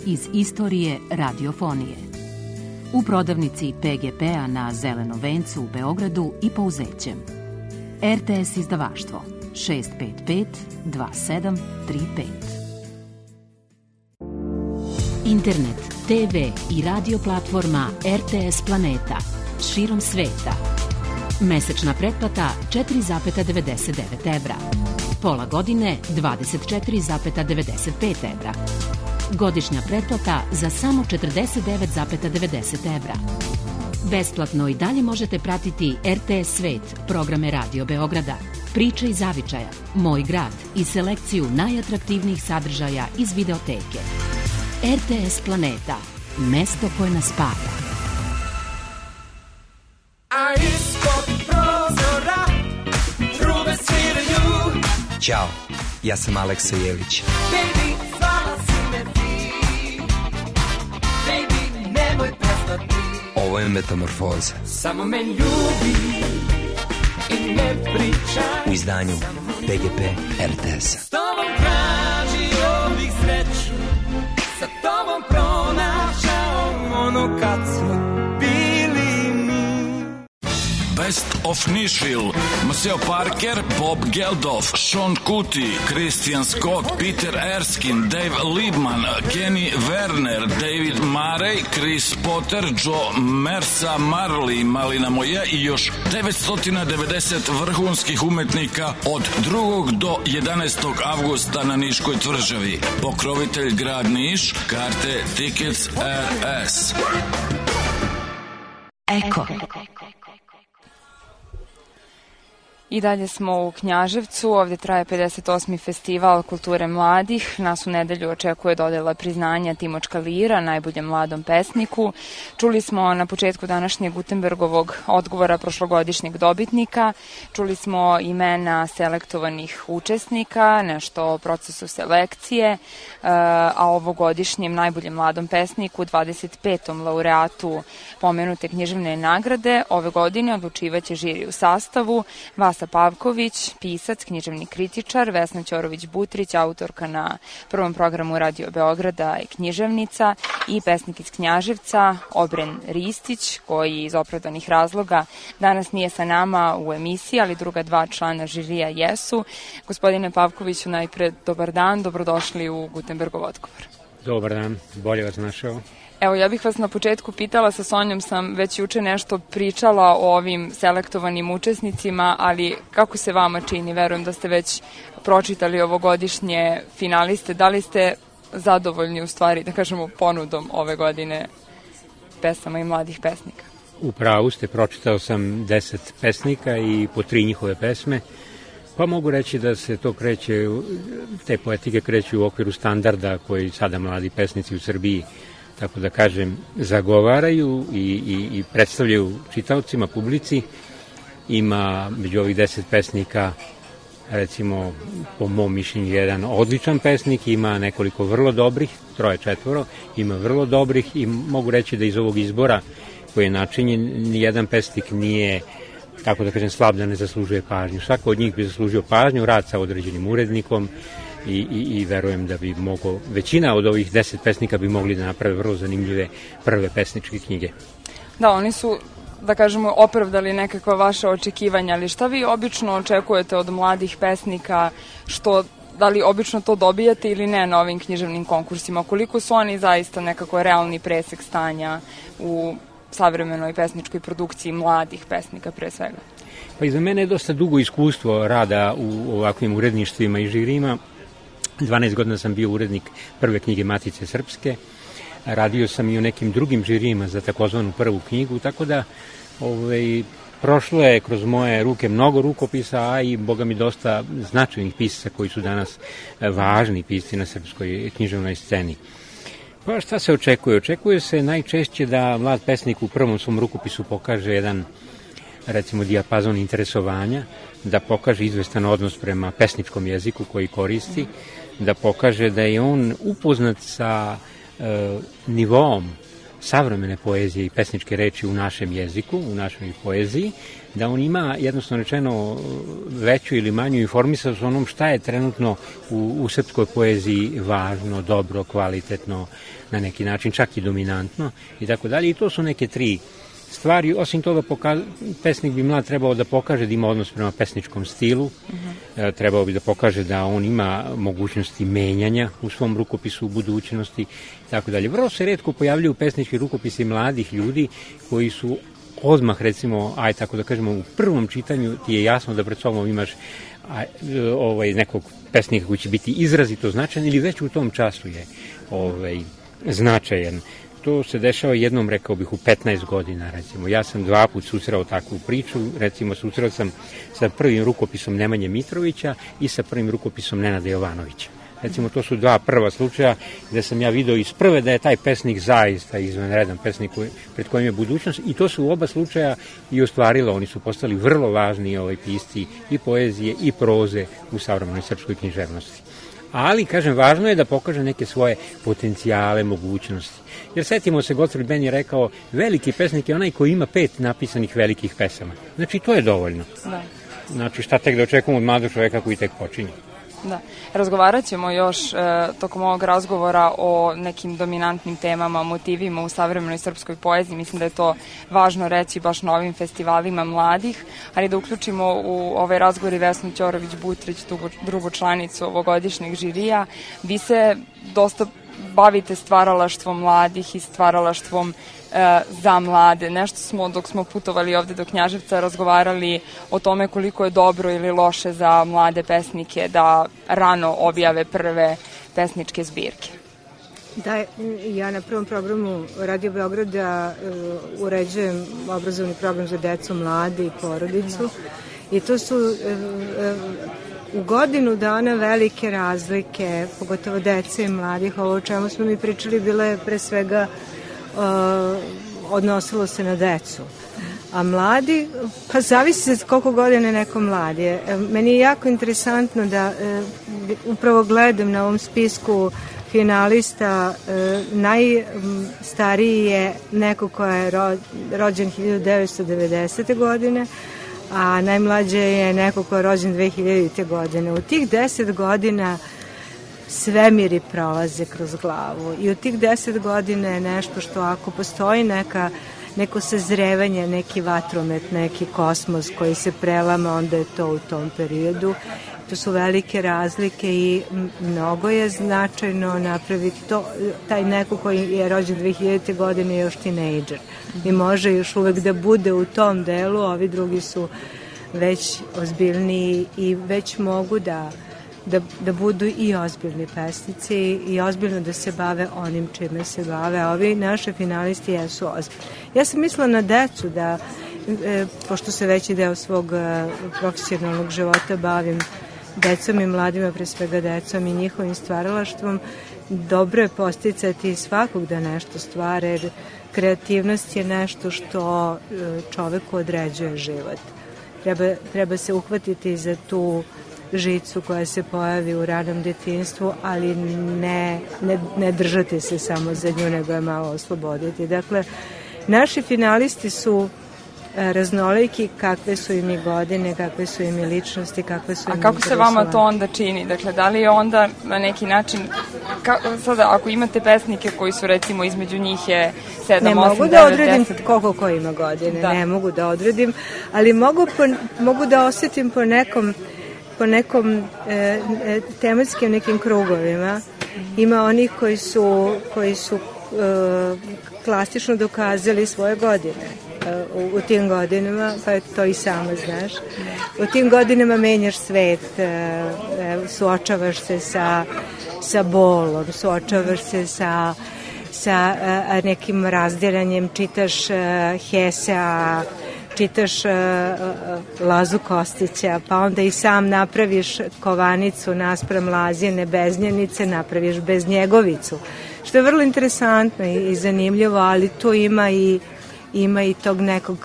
iz istorije radiofonije. U prodavnici PGP-a na Zelenom vencu u Beogradu i Pouzećem. RTS izdavaštvo 655 2735. Internet, TV i radio platforma RTS Planeta širom sveta. Mesečna pretplata 4,99 evra. Pola godine 24,95 evra. Godišnja pretplata za samo 49,90 evra. Besplatno i dalje možete pratiti RTS Svet, programe Radio Beograda, Priče iz zavičaja, Moj grad i selekciju najatraktivnijih sadržaja iz videoteke. RTS Planeta, mesto koje nas spaja. A ispod prozora trube sviraju. Ćao, ja sam Aleksa Jelić. Baby, zvala si me ti. Baby, nemoj prestati. Ovo je Metamorfoza. Samo me ljubi i ne pričaj. U izdanju PGP RTS-a. S tobom tražio bih sreću, sa tobom pronašao ono kad smo bili mi. Best of Nashville, Maceo Parker, Bob Geldof, Sean Kuti, Christian Scott, Peter Erskine, Dave Liebman, Kenny Werner, David Murray, Chris Potter, Joe Mersa, Marley, Malina Moje i još 990 vrhunskih umetnika od 2. do 11. avgusta na Niškoj tvrđavi. Pokrovitelj grad Niš, karte Tickets RS. Eko. I dalje smo u Knjaževcu, ovdje traje 58. festival kulture mladih. Nas u nedelju očekuje dodela priznanja Timočka Lira, najboljem mladom pesniku. Čuli smo na početku današnjeg Gutenbergovog odgovora prošlogodišnjeg dobitnika. Čuli smo imena selektovanih učesnika, nešto o procesu selekcije, a ovogodišnjem najboljem mladom pesniku, 25. laureatu pomenute književne nagrade, ove godine odlučivaće žiri u sastavu Vasa Pavković, pisac, književni kritičar, Vesna Ćorović-Butrić, autorka na prvom programu Radio Beograda i književnica, i pesnik iz Knjaževca, Obren Ristić, koji iz opravdanih razloga danas nije sa nama u emisiji, ali druga dva člana žirija jesu. Gospodine Pavkoviću, najpre dobar dan, dobrodošli u Gutenbergov odgovor. Dobar dan, bolje vas našao. Evo, ja bih vas na početku pitala, sa Sonjom sam već juče nešto pričala o ovim selektovanim učesnicima, ali kako se vama čini? Verujem da ste već pročitali ovogodišnje finaliste. Da li ste zadovoljni, u stvari, da kažemo, ponudom ove godine pesama i mladih pesnika? U pravu ste, pročitao sam 10 pesnika i po 3 njihove pesme, pa mogu reći da se to kreće, te poetike kreću u okviru standarda koji sada mladi pesnici u Srbiji, tako da kažem, zagovaraju i predstavljaju čitaocima, publici. Ima među ovih 10 pesnika, recimo, po mom mišljenju, jedan odličan pesnik, ima nekoliko vrlo dobrih, 3-4, ima vrlo dobrih, i mogu reći da iz ovog izbora koji je načinjen, nijedan pesnik nije, tako da kažem, slab da ne zaslužuje pažnju. Svako od njih bi zaslužio pažnju, rad sa određenim urednikom, i verujem da bi mogo, većina od ovih 10 pesnika bi mogli da naprave vrlo zanimljive prve pesničke knjige. Da, oni su, da kažemo, opravdali nekakva vaša očekivanja, ali šta vi obično očekujete od mladih pesnika, da li obično to dobijate ili ne na ovim književnim konkursima? Koliko su oni zaista nekako realni presek stanja u savremenoj pesničkoj produkciji mladih pesnika pre svega? Pa i za mene je dosta dugo iskustvo rada u ovakvim uredništvima i žirima. 12 godina sam bio urednik prve knjige Matice Srpske, radio sam i u nekim drugim žirijima za takozvanu prvu knjigu, tako da prošlo je kroz moje ruke mnogo rukopisa, a i, boga mi, dosta značajnih pisaca koji su danas važni pisci na srpskoj književnoj sceni. Pa šta se očekuje? Očekuje se najčešće da mlad pesnik u prvom svom rukopisu pokaže jedan, recimo, dijapazon interesovanja, da pokaže izvestan odnos prema pesničkom jeziku koji koristi, da pokaže da je on upoznat sa nivoom savremene poezije i pesničke reči u našem jeziku, u našoj poeziji, da on ima jednostavno rečeno veću ili manju informisanost o onom šta je trenutno u srpskoj poeziji važno, dobro, kvalitetno, na neki način čak i dominantno i tako dalje. I to su neke tri stvari. Osim toga, pesnik bi mlad trebao da pokaže da ima odnos prema pesničkom stilu, trebao bi da pokaže da on ima mogućnosti menjanja u svom rukopisu u budućnosti i tako dalje. Vrlo se retko pojavljaju pesnički rukopisi mladih ljudi koji su odmah, recimo, tako da kažemo, u prvom čitanju ti je jasno da pred sobom imaš nekog pesnika koji će biti izrazito značajan ili već u tom času je značajan. To se dešava jednom, rekao bih, u 15 godina, recimo. Ja sam 2 puta susreo takvu priču, recimo susreo sam sa prvim rukopisom Nemanje Mitrovića i sa prvim rukopisom Nenada Jovanovića. Recimo, to su 2 prva slučaja gde sam ja video iz prve da je taj pesnik zaista izvanredan pesnik pred kojim je budućnost i to su u oba slučaja i ostvarilo. Oni su postali vrlo važni pisci i poezije i proze u savremenoj srpskoj književnosti. Ali, kažem, važno je da pokaže neke svoje potencijale, mogućnosti. Jer setimo se, Gottfried Benn je rekao, veliki pesnik je onaj koji ima 5 napisanih velikih pesama. Znači, to je dovoljno. Da. Znači, šta tek da očekujemo od mladog čoveka koji tek počinje. Da. Razgovarat ćemo još tokom ovog razgovora o nekim dominantnim temama, motivima u savremenoj srpskoj poeziji. Mislim da je to važno reći baš na ovim festivalima mladih, ali da uključimo u ovaj razgovor i Vesnu Ćorović-Butrić, drugu članicu ovogodišnjeg žirija. Vi se dosta bavite stvaralaštvom mladih i stvaralaštvom za mlade. Nešto smo, dok smo putovali ovde do Knjaževca, razgovarali o tome koliko je dobro ili loše za mlade pesnike da rano objave prve pesničke zbirke. Da, ja na prvom programu Radio Beograda uređujem obrazovni program za decu, mlade i porodicu i to su u godinu dana velike razlike, pogotovo dece i mladih. Ovo o čemu smo mi pričali bilo je pre svega odnosilo se na decu. A mladi, pa zavisi se koliko godina neko mladi je. Meni je jako interesantno da upravo gledam na ovom spisku finalista, najstariji je neko ko je rođen 1990. godine, a najmlađe je neko ko je rođen 2000. godine. U tih 10 godina svemiri prolaze kroz glavu i u tih 10 godina je nešto što ako postoji neko sazrevanje, neki vatromet, neki kosmos koji se prelama, onda je to u tom periodu. To su velike razlike i mnogo je značajno napraviti to. Taj neko koji je rođen 2000. godine je još tinejdžer i može još uvek da bude u tom delu, ovi drugi su već ozbiljniji i već mogu da budu i ozbiljni pesnici i ozbiljno da se bave onim čime se bave, a ovi naši finalisti jesu ozbiljni. Ja sam mislila na decu da, pošto se veći deo svog profesionalnog života bavim decom i mladima, pre svega decom i njihovim stvaralaštvom, dobro je posticati svakog da nešto stvara, jer kreativnost je nešto što čoveku određuje život. Treba se uhvatiti za tu žicu koja se pojavi u ranom detinjstvu, ali ne držati se samo za nju, nego je malo osloboditi. Dakle, naši finalisti su raznoliki, kakve su im i godine, kakve su im i ličnosti, kakve su im A kako se vama to onda čini? Dakle, da li je onda na neki način, sada ako imate pesnike koji su recimo između njih je 7, 8, 9, 10... Ne mogu da odredim koliko ko ima godine, ne mogu da odredim, ali mogu da osjetim po nekom tematskim nekim krugovima. Ima onih koji su klasično dokazali svoje godine u tim godinama, pa to i sama znaš. U tim godinama menjaš svet, suočavaš se sa bolom, suočavaš se sa nekim razdiranjem, čitaš Hesea, čitaš Lazu Kostića, pa onda i sam napraviš kovanicu naspram Lazijene Beznjenice, napraviš Beznjegovicu, što je vrlo interesantno i zanimljivo, ali tu ima i tog nekog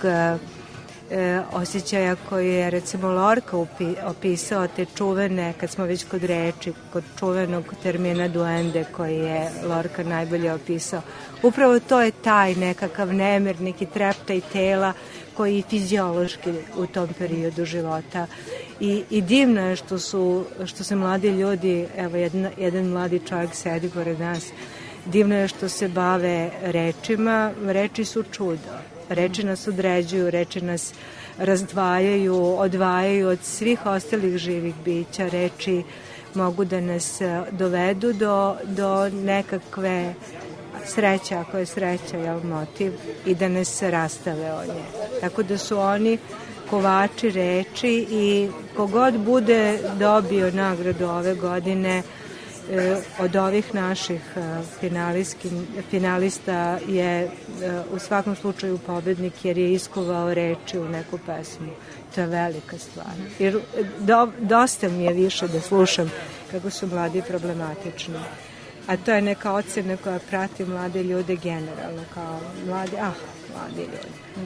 osjećaja koji je recimo Lorca opisao, te čuvene, kad smo već kod reči, kod čuvenog termina duende koji je Lorca najbolje opisao. Upravo to je taj nekakav nemir, neki treptaj tela koji je fiziološki u tom periodu života. I divno je što se mladi ljudi, evo jedan mladi čovjek sedi pored nas, divno je što se bave rečima. Reči su čudo. Reči nas određuju, reči nas razdvajaju, odvajaju od svih ostalih živih bića. Reči mogu da nas dovedu do nekakve sreće, ako je sreća, jel, motiv, i da nas rastave od nje. Tako da su oni kovači reči i kogod bude dobio nagradu ove godine od ovih naših finalista je u svakom slučaju pobednik, jer je iskovao reči u neku pesmu. To je velika stvar. Jer dosta mi je više da slušam kako su mladi problematični. A to je neka ocena koja prati mlade ljude generalno, kao mladi ljudi.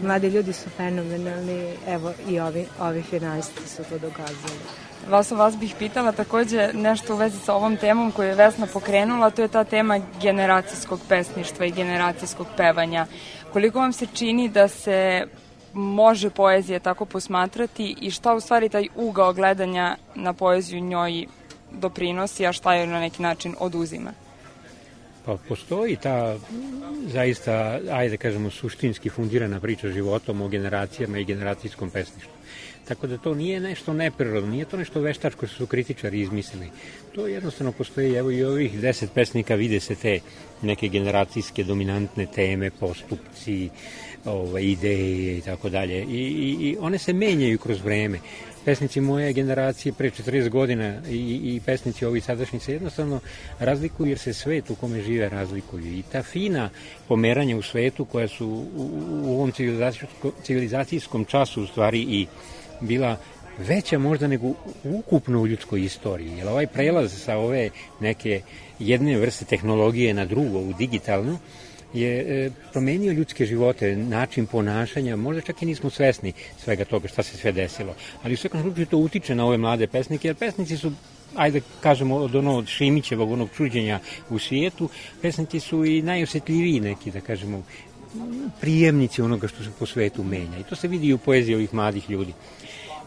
Mladi ljudi su fenomenalni, evo i ovi finalisti su to dokazali. Vas bih pitala takođe nešto u vezi sa ovom temom koju je Vesna pokrenula, to je ta tema generacijskog pesništva i generacijskog pevanja. Koliko vam se čini da se može poezija tako posmatrati i šta u stvari taj ugao gledanja na poeziju njoj doprinosi, a šta joj na neki način oduzima? Pa postoji ta zaista, ajde kažemo, suštinski fundirana priča životom o generacijama i generacijskom pesništvu. Tako da to nije nešto neprirodno, nije to nešto veštačko što su kritičari izmislili. To jednostavno postoji, evo i ovih 10 pesnika vide se te neke generacijske dominantne teme, postupci, ideje i tako dalje. I one se menjaju kroz vreme. Pesnici moje generacije pre 40 godina i pesnici ovi sadašnji se jednostavno razlikuju jer se svet u kome žive razlikuju. I ta fina pomeranja u svetu koja su u ovom civilizacijskom času u stvari i bila veća možda nego ukupno u ljudskoj istoriji. Jer ovaj prelaz sa ove neke jedne vrste tehnologije na drugo, u digitalnu, je promenio ljudske živote, način ponašanja, možda čak i nismo svesni svega toga šta se sve desilo. Ali u svakom slučaju to utiče na ove mlade pesnike, jer pesnici su, ajde kažemo, od Šimićevog, onog čuđenja u svijetu, pesnici su i najosjetljiviji neki, da kažemo, prijemnici onoga što se po svetu menja. I to se vidi i u poeziji ovih mladih ljudi.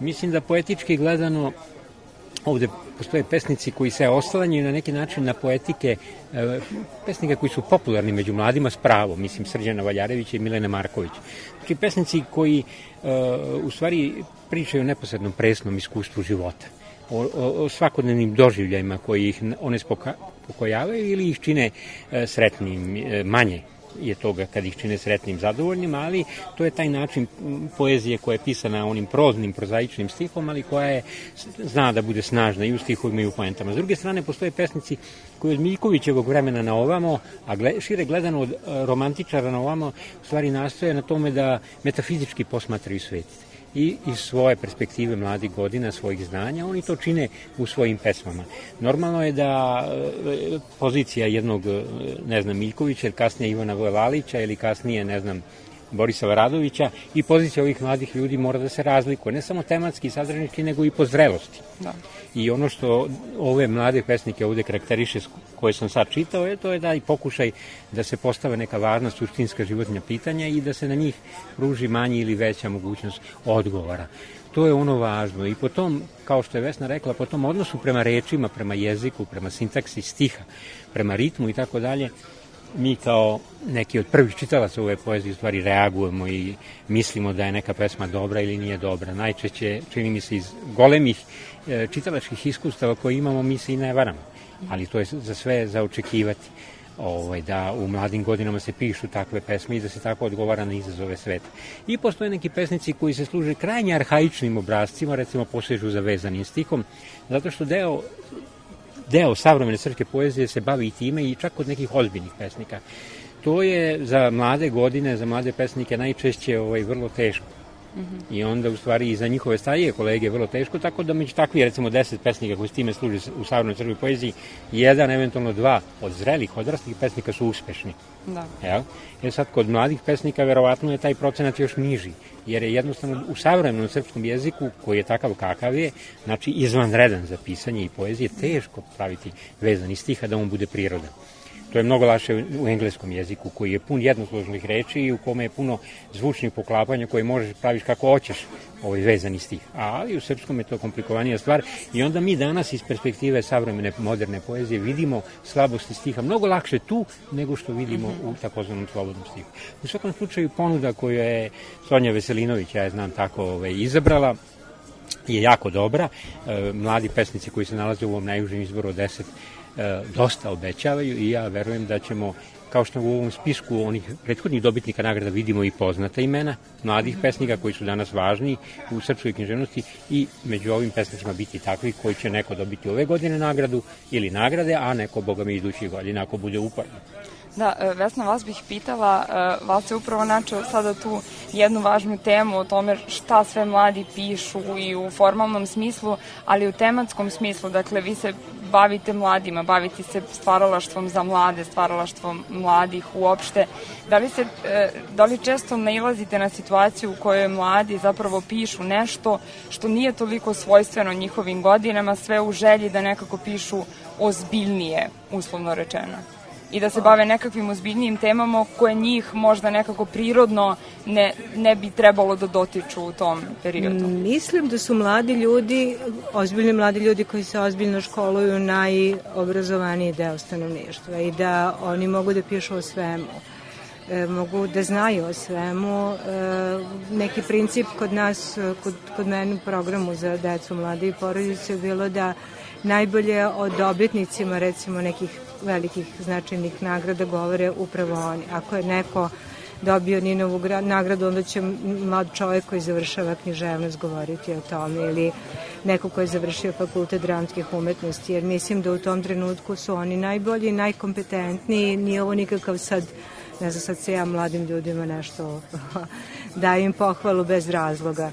Mislim da poetički gledano ovde postoje pesnici koji se oslanjaju na neki način na poetike pesnika koji su popularni među mladima s pravom, mislim Srđana Valjarevića i Milene Marković. Znači pesnici koji u stvari pričaju o neposrednom presnom iskustvu života, o svakodnevnim doživljajima koji ih onespokojavaju ili ih čine sretnim, manje je toga kad ih čine sretnim, zadovoljnim, ali to je taj način poezije koja je pisana onim proznim, prozaičnim stihom, ali koja zna da bude snažna i u stihovima i u poentama. S druge strane, postoje pesnici koji od Miljkovićevog vremena na ovamo, a šire gledano od romantičara na ovamo, u stvari nastoje na tome da metafizički posmatraju svet. I iz svoje perspektive mladih godina, svojih znanja, oni to čine u svojim pesmama. Normalno je da pozicija jednog, Miljkovića, ili kasnije Ivana Vojlalića, ili kasnije, Borisa Varadovića, i pozicija ovih mladih ljudi mora da se razlikuje, ne samo tematski i sadržajnički, nego i po zrelosti. Da. I ono što ove mlade pesnike ovde karakteriše, koje sam sad čitao, to je da i pokušaj da se postave neka važna suštinska životna pitanja i da se na njih pruži manja ili veća mogućnost odgovora. To je ono važno. I potom, kao što je Vesna rekla, po tom odnosu prema rečima, prema jeziku, prema sintaksi stiha, prema ritmu i tako dalje, mi kao neki od prvih čitalaca ove poezije u stvari reagujemo i mislimo da je neka pesma dobra ili nije dobra. Najčešće, čini mi se, iz golemih čitalačkih iskustava koje imamo, mi se i ne varamo. Ali to je za sve za očekivati, da u mladim godinama se pišu takve pesme i da se tako odgovara na izazove sveta. I postoje neki pesnici koji se služe krajnje arhaičnim obrazcima, recimo posežu za vezanim stihom, zato što deo savremene srpske poezije se bavi i time i čak od nekih ozbiljnih pesnika. To je za mlade godine, za mlade pesnike najčešće vrlo teško. I onda u stvari i za njihove starije kolege je vrlo teško, tako da među takvi recimo 10 pesnika koji s time služi u savremenoj crnoj poeziji, jedan, eventualno dva od zrelih, odraslih pesnika su uspešni. Da. Jel? Sad kod mladih pesnika verovatno je taj procenat još niži, jer je jednostavno u savremenom srpskom jeziku, koji je takav kakav je, znači izvanredan za pisanje i poezije, teško praviti vezani stih, a da on bude prirodan. To je mnogo lakše u engleskom jeziku, koji je pun jednosložnih reči i u kome je puno zvučnih poklapanja koje možeš praviš kako hoćeš vezani stih. Ali u srpskom je to komplikovanija stvar i onda mi danas iz perspektive savremene moderne poezije vidimo slabosti stiha mnogo lakše tu nego što vidimo u takozvanom slobodnom stihu. U svakom slučaju ponuda koju je Sonja Veselinović, ja je znam tako, izabrala, je jako dobra. Mladi pesnici koji se nalaze u ovom najužem izboru od 10 dosta obećavaju i ja verujem da ćemo, kao što u ovom spisku onih prethodnih dobitnika nagrada vidimo i poznata imena mladih pesnika koji su danas važni u srpskoj književnosti, i među ovim pesnicima biti takvi koji će neko dobiti ove godine nagradu ili nagrade, a neko, boga mi, idućih godina ako bude uporno. Da, Vesna, vas bih pitala, vas je upravo načeo sada tu jednu važnu temu o tome šta sve mladi pišu i u formalnom smislu, ali u tematskom smislu. Dakle, vi se bavite mladima, bavite se stvaralaštvom za mlade, stvaralaštvom mladih uopšte. Da li često nailazite na situaciju u kojoj mladi zapravo pišu nešto što nije toliko svojstveno njihovim godinama, sve u želji da nekako pišu ozbiljnije, uslovno rečeno? I da se bave nekakvim ozbiljnijim temama koje njih možda nekako prirodno ne bi trebalo da dotiču u tom periodu. Mislim da su mladi ljudi, ozbiljni mladi ljudi koji se ozbiljno školuju, najobrazovaniji deo stanovništva i da oni mogu da pišu o svemu. Mogu da znaju o svemu. Neki princip kod nas, kod mene u programu za decu, mlade i porodice je bilo da najbolje o dobitnicima, recimo nekih velikih značajnih nagrada, govore upravo oni. Ako je neko dobio Ninovu nagradu, onda će mlad čovjek koji završava književnost govoriti o tome, ili neko koji je završio fakultet dramskih umetnosti, jer mislim da u tom trenutku su oni najbolji, najkompetentniji. Nije ovo nikakav sad, ne znam, sad se ja mladim ljudima nešto dajem im pohvalu bez razloga.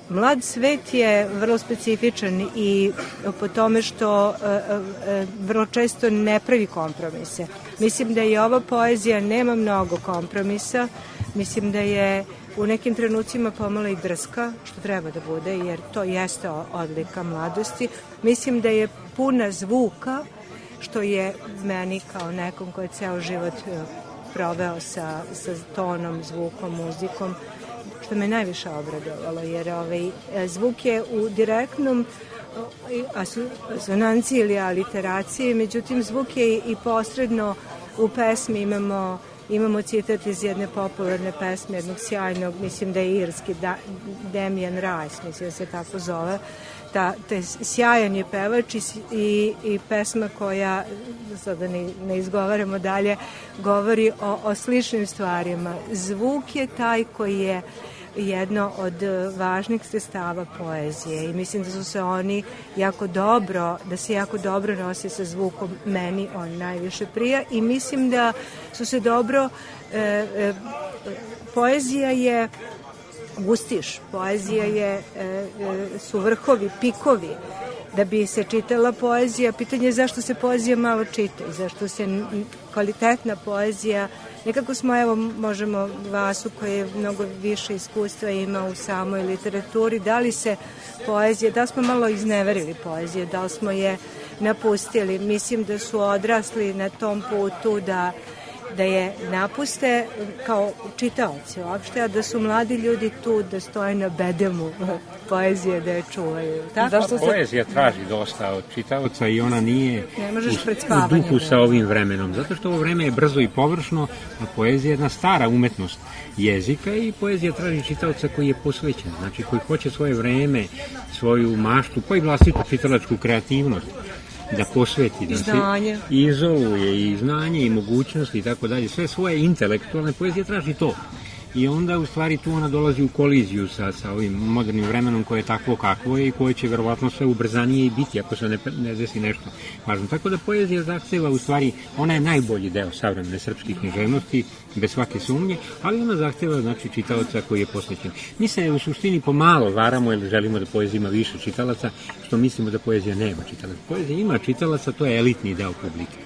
Mlad svet je vrlo specifičan i po tome što vrlo često ne pravi kompromise. Mislim da i ova poezija nema mnogo kompromisa, mislim da je u nekim trenucima pomalo i drska, što treba da bude, jer to jeste odlika mladosti. Mislim da je puna zvuka, što je meni kao nekom koji je ceo život proveo sa tonom, zvukom, muzikom, što me najviše obradovalo, jer zvuk je u direktnom asonanciji ili aliteraciji, međutim zvuk je i posredno u pesmi. Imamo citat iz jedne popularne pesme, jednog sjajnog, mislim da je irski, Damien Rice, mislim da se tako zove. Sjajan je pevač i pesma koja, sada ne izgovaramo dalje, govori o sličnim stvarima. Zvuk je taj koji je jedno od važnih sredstava poezije i mislim da su se oni jako dobro nose sa zvukom. Meni on najviše prija i mislim da su se dobro, poezija je gustiš, poezija su vrhovi, pikovi. Da bi se čitala poezija, pitanje je zašto se poezija malo čita i zašto se kvalitetna poezija, nekako smo, evo, možemo Vasu koji je mnogo više iskustva ima u samoj literaturi, da li se poezija, da li smo malo izneverili poezije, da li smo je napustili. Mislim da su odrasli na tom putu da je napuste kao čitaoci uopšte, a da su mladi ljudi tu da stoje na bedemu poezije, da je čuvaju. Poezija traži dosta od čitaoca i ona nije u duhu sa ovim vremenom, zato što ovo vreme je brzo i površno, a poezija je jedna stara umetnost jezika i poezija traži čitaoca koji je posvećen, znači koji hoće svoje vreme, svoju maštu, pa i vlastitu čitalačku kreativnost da posveti, da se izoluje i znanje i mogućnosti i tako dalje, sve svoje intelektualne, poezije traži to. i onda u stvari tu ona dolazi u koliziju sa ovim modernim vremenom koje je takvo kakvo je i koje će verovatno sve ubrzanije i biti ako se ne desi nešto važno. Tako da poezija zahteva u stvari, ona je najbolji deo savremene srpske književnosti, bez svake sumnje, ali ona zahteva znači čitalaca koji je posvećen. Mi se u suštini pomalo varamo jer želimo da poezija ima više čitalaca, što mislimo da poezija nema čitalaca. Poezija ima čitalaca, to je elitni deo publike.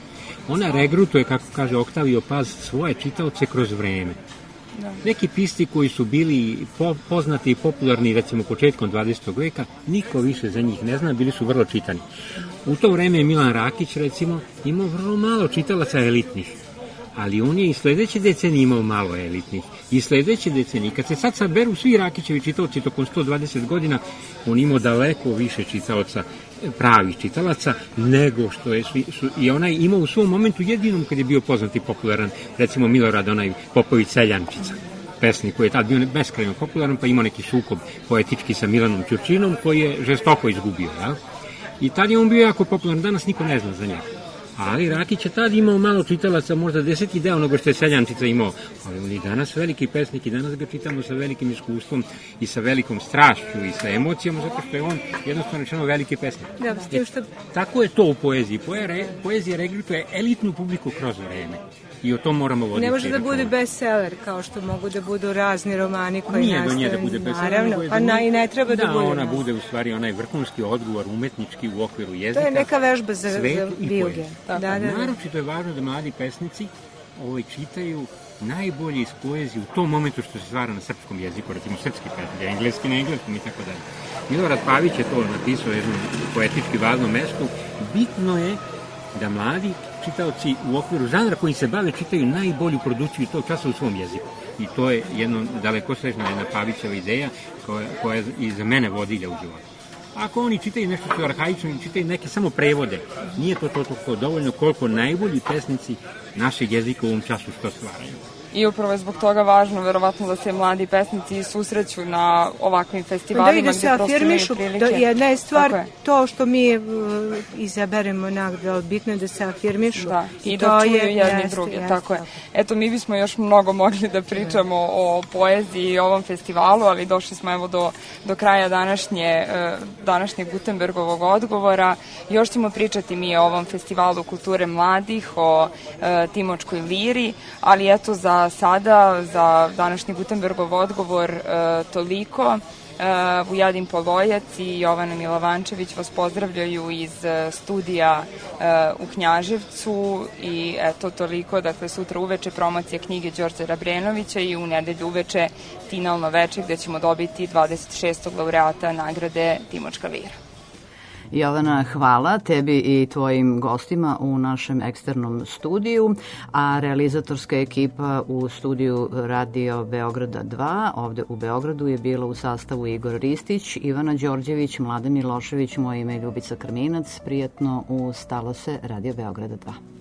Ona regrutuje, kako kaže Oktavio Paz, svoje čitaoce kroz vreme. Neki pisci koji su bili poznati i popularni recimo početkom 20. veka, niko više za njih ne zna, bili su vrlo čitani. U to vreme je Milan Rakić recimo imao vrlo malo čitalaca elitnih, ali on je i sledeće decenije imao malo elitnih. I sledeće decenije, kad se sad saberu svi Rakićevi čitaoci tokom 120 godina, on imao daleko više čitaoca, pravih čitalaca, nego što je i onaj imao u svom momentu jedinom kad je bio poznat i popularan, recimo Milorad, onaj Popović Seljančica, pesnik koji je tad bio beskrajno popularan, pa imao neki sukob poetički sa Milanom Ćurčinom koji je žestoko izgubio, ja? I tad je on bio jako popularan, danas niko ne zna za njega. Ali Rakić je tad imao malo čitalaca, možda 10 deo onoga što je Seljančica imao, ali on i danas veliki pesnik i danas ga čitamo sa velikim iskustvom i sa velikom strašću i sa emocijama, zato što je on jednostavno rečeno veliki pesnik. Tako je to u poeziji. Poezija regrutuje elitnu publiku kroz vreme. I o tom moramo voditi. Ne može da bude bestseller, kao što mogu da budu razni romani koji nastaju. Nije do nje da bude bestseller. Naravno, pa i ne treba da bude. Da, ona bude u stvari onaj vrhunski odgovor umetnički u okviru jezika. To je neka vežba za bilge. Naročito je važno da mladi pesnici čitaju najbolje iz poezije u tom momentu što se stvara na srpskom jeziku, recimo srpski pesnik, engleski na engleskom i tako dalje. Milorad Pavić je to napisao u jednom poetički važnom mestu. Bitno je da mladi čitaoci u okviru žanra koji se bave čitaju najbolju produkciju tog časa u svom jeziku. I to je jedno dalekosežna jedna Pavićeva ideja koja je i za mene vodilja u životu. Ako oni čitaju nešto što je arhaično i čitaju neke samo prevode, nije to toliko dovoljno koliko najbolji pesnici našeg jezika u ovom času što stvaraju. I upravo je zbog toga važno, verovatno, da se mladi pesnici susreću na ovakvim festivalima. Da se afirmišu. Jedna je stvar to što mi izaberemo nagradu, bitno je da se afirmišu. Da, i da čuju jedni drugi. Tako je. Eto, mi bismo još mnogo mogli da pričamo o poeziji i ovom festivalu, ali došli smo evo do kraja današnjeg Gutenbergovog odgovora. Još ćemo pričati mi o ovom festivalu kulture mladih, o Timočkoj liri, ali eto za sada, za današnji Gutenbergov odgovor toliko. Vujadin Polojac i Jovana Milovančević vas pozdravljaju iz studija u Knjaževcu i eto toliko, dakle sutra uveče promocija knjige Đorđa Rabrenovića i u nedelju uveče finalno veče gde ćemo dobiti 26. laureata nagrade Timočka lira. Jovana, hvala tebi i tvojim gostima u našem eksternom studiju, a realizatorska ekipa u studiju Radio Beograda 2 ovde u Beogradu je bila u sastavu Igor Ristić, Ivana Đorđević, Mladen Milošević, moje ime je Ljubica Krminac. Prijatno, ustalo se Radio Beograda 2.